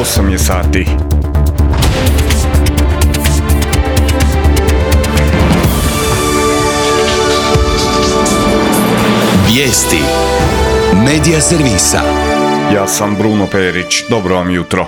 8 je sati. Vijesti Medija servisa. Ja sam Bruno Perić, dobro vam jutro.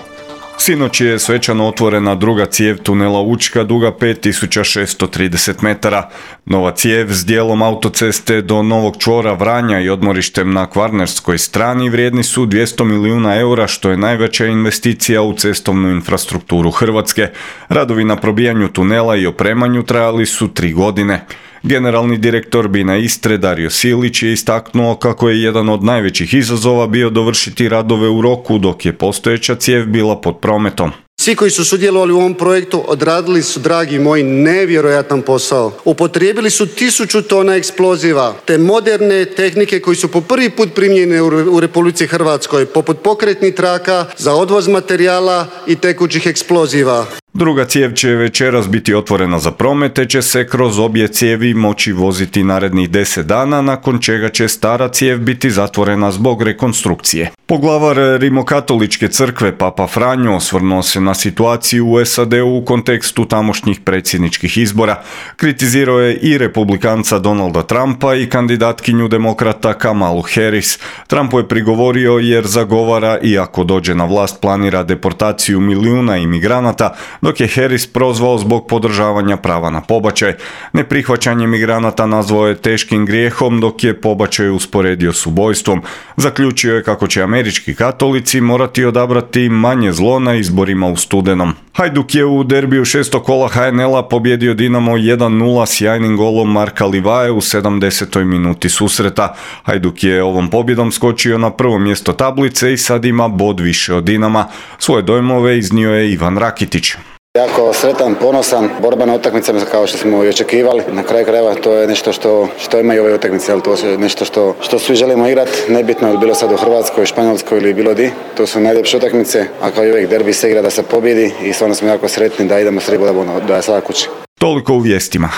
Sinoć je svečano otvorena druga cijev tunela Učka duga 5630 metara. Nova cijev s dijelom autoceste do Novog čvora Vranja i odmorištem na kvarnerskoj strani vrijedni su 200 milijuna eura, što je najveća investicija u cestovnu infrastrukturu Hrvatske. Radovi na probijanju tunela i opremanju trajali su 3 godine. Generalni direktor BINA Istre Dario Silić je istaknuo kako je jedan od najvećih izazova bio dovršiti radove u roku dok je postojeća cijev bila pod prometom. Svi koji su sudjelovali u ovom projektu odradili su, dragi moji, nevjerojatan posao. Upotrijebili su 1000 tona eksploziva te moderne tehnike koji su po prvi put primijenjene u Republici Hrvatskoj, poput pokretnih traka za odvoz materijala i tekućih eksploziva. Druga cijev će večeras biti otvorena za promet, te će se kroz obje cijevi moći voziti narednih 10 dana, nakon čega će stara cijev biti zatvorena zbog rekonstrukcije. Poglavar Rimokatoličke crkve Papa Franjo osvrnuo se na situaciju u SAD-u u kontekstu tamošnjih predsjedničkih izbora. Kritizirao je i republikanca Donalda Trumpa i kandidatkinju demokrata Kamalu Harris. Trumpu je prigovorio jer zagovara i ako dođe na vlast planira deportaciju milijuna imigranata, dok je Harris prozvao zbog podržavanja prava na pobačaj. Neprihvaćanje migranata nazvao je teškim grijehom, dok je pobačaj usporedio s ubojstvom. Zaključio je kako će američki katolici morati odabrati manje zlo na izborima u studenom. Hajduk je u derbiju 6. kola HNL-a pobjedio Dinamo 1-0 sjajnim golom Marka Livaje u 70. minuti susreta. Hajduk je ovom pobjedom skočio na prvo mjesto tablice i sad ima bod više od Dinama. Svoje dojmove iznio je Ivan Rakitić. Jako sretan, ponosan, borba na utakmicama kao što smo i očekivali. Na kraju krajeva to je nešto što ima i ove utakmice, ali to je nešto što svi želimo igrati, nebitno je bilo sad u Hrvatskoj, Španjolskoj ili bilo di. To su najljepše utakmice, a kao i uvijek derbi se igra da se pobjedi i stvarno smo jako sretni da idemo s 3 boda da je sada kući. Toliko u vijestima.